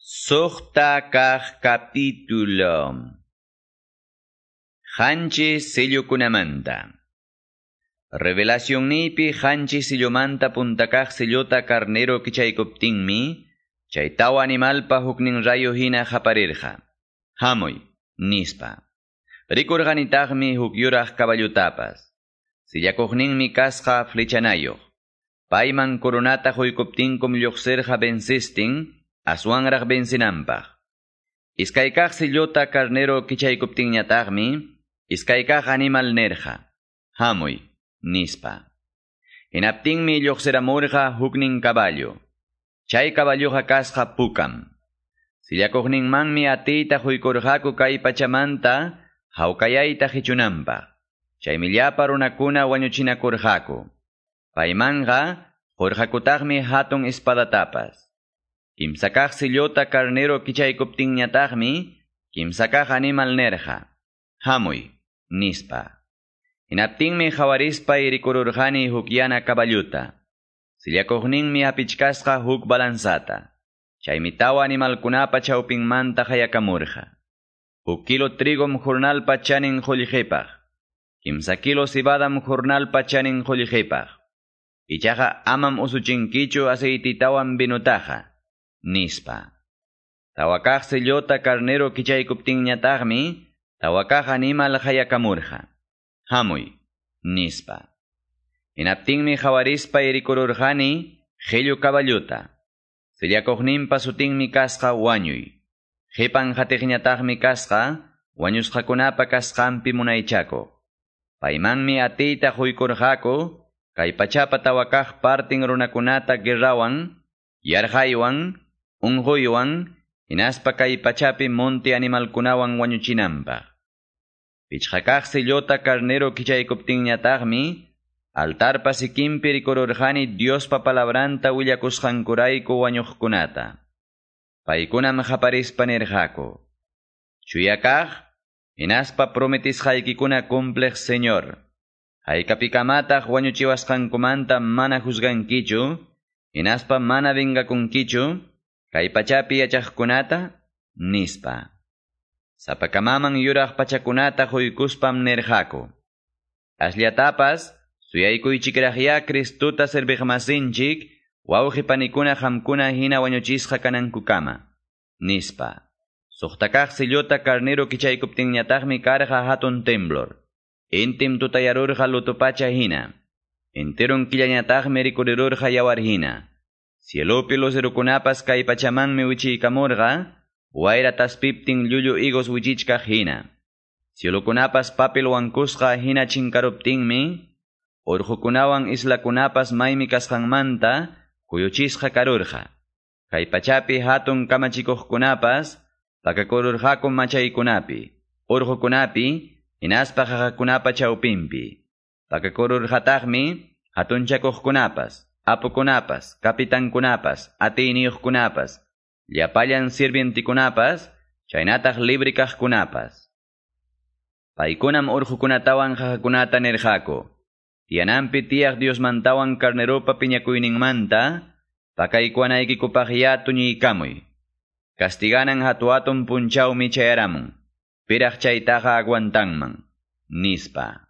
Suqta kaq capítulo. Qanchis sillukunamanta. Revelacionniypi qanchis sillumanta punta kaq sillota carnero kichaykuptinmi, chay tawa animalpa huknin rayo hina qaparirqa. Hamuy, nispa. Rikurqanitaqmi huk yuraq caballutapas. Sillakuqninmi kasqa flechanayoq. Payman coronata huykuptinkum lluqsirqa vencestin, aswanraq vencinanpaq. Iskaykaq sillota carnero kichaykuptinñataqmi, iskaykaq animal nerqa. Hamuy, nispa. Hinaptinmi lluqsiramurqa huknin caballo. Chay caballoqa kasqa pukam. Sillakuqninmanmi atiyta huykurqaku kay pachamanta hawkayayta qichunanpaq. Chaymi llapa runakuna wañuchinakurqaku. Paymanqa qurqakutaqmi hatun espadatapas. Kimsakaq sillota carnero kichaykuptinñataqmi, kimsakaq animal nerqa. Hamuy, nispa. Hinaptinmi qhawarispa rikururqani huk yana caballuta. Sillakuqninmi hapichkasqa huk balanzata. Chaymi tawa animalkunapa chawpinmanta hayakamurqa. Huk kilo trigom jornalpa chanin qullqipaq. 3 kilo cebadam jornalpa chanin qullqipaq. Ichaqa amam usuchinkichu aceititawan vinutaqa, nispa. Tawakaq sillota carnero kichaykuptinñataqmi, tawakaq animal hayakamurqa. Hamuy, nispa. Hinaptinmi qhawarispa rikururqani qillu caballuta. Sillakuqninpa sutinmi kasqa wañuy. Qipan qatiqñataqmi kasqa wañusqakunapa kasqanpi munaychakuq. Paymanmi atiyta huykurqaku kay pachapa tawakaq partin runakunata guerrawan, yarqaywan, unquywan, hinaspa kay pachapi monte animalkunawan wañuchinanpaq. Pichqakaq sillota carnero kichaykuptinñataqmi, altarpa sikinpi rikururqani Diospa palabranta willakusqankurayku wañuqkunata. Paykunam qaparispa nirqaku: Chuya kaq, hinaspa prometisqaykikuna cumpliq Señor. Haykapikamataq wañuchiwasqankumanta mana juzgankichu, hinaspa mana vengakunkichu, kay pachapi yachaqkunata, nispa. Sapakamaman yuraq pachakunata huykuspam nirqaku. Asllatapas, suyaykuychikraqya Cristuta serviqmasinchik, wawqi panikuna qamkuna hina wañuchisqa kanankukama, nispa. Suqtakaq sillota carnero kichaykuptinñataqmi karqa hatun temblor. Intim tutayarurqa luto pacha hina. Enteron killañataqmi rikurirurqa yawar hina. Cielopi lucerukunapas kay pachamanmi wichiykamurqa, wayra taspiptin llullu higos wichichkaq hina. Cielokunapas papel wankusqa hina chinkaruptinmi, urqukunawan islakunapas maymi kasqanmanta kuyuchisqa karurqa. Kay pachapi hatun kamachikuqkunapas pakakururqaku machaykunapi, urqukunapi, hinaspa qaqakunapa chawpinpi. Pakakururqataqmi hatunchakuqkunapas, apukunapas, kapitankunapas, atiyniyuqkunapas, llapallan sirvientikunapas, chaynataq libre kaqkunapas. Paykunam urqukunatawan qaqakunata nirqaku. Tiyananpi tiyaq Diosmantawan carneropa piñakuyninmanta, pakaykuwanaykikupaqya tuñiykamuy. Castiganan hatu-hatun punchawmi chayaramun. Piraq chaytaqa aguantanman, nispa.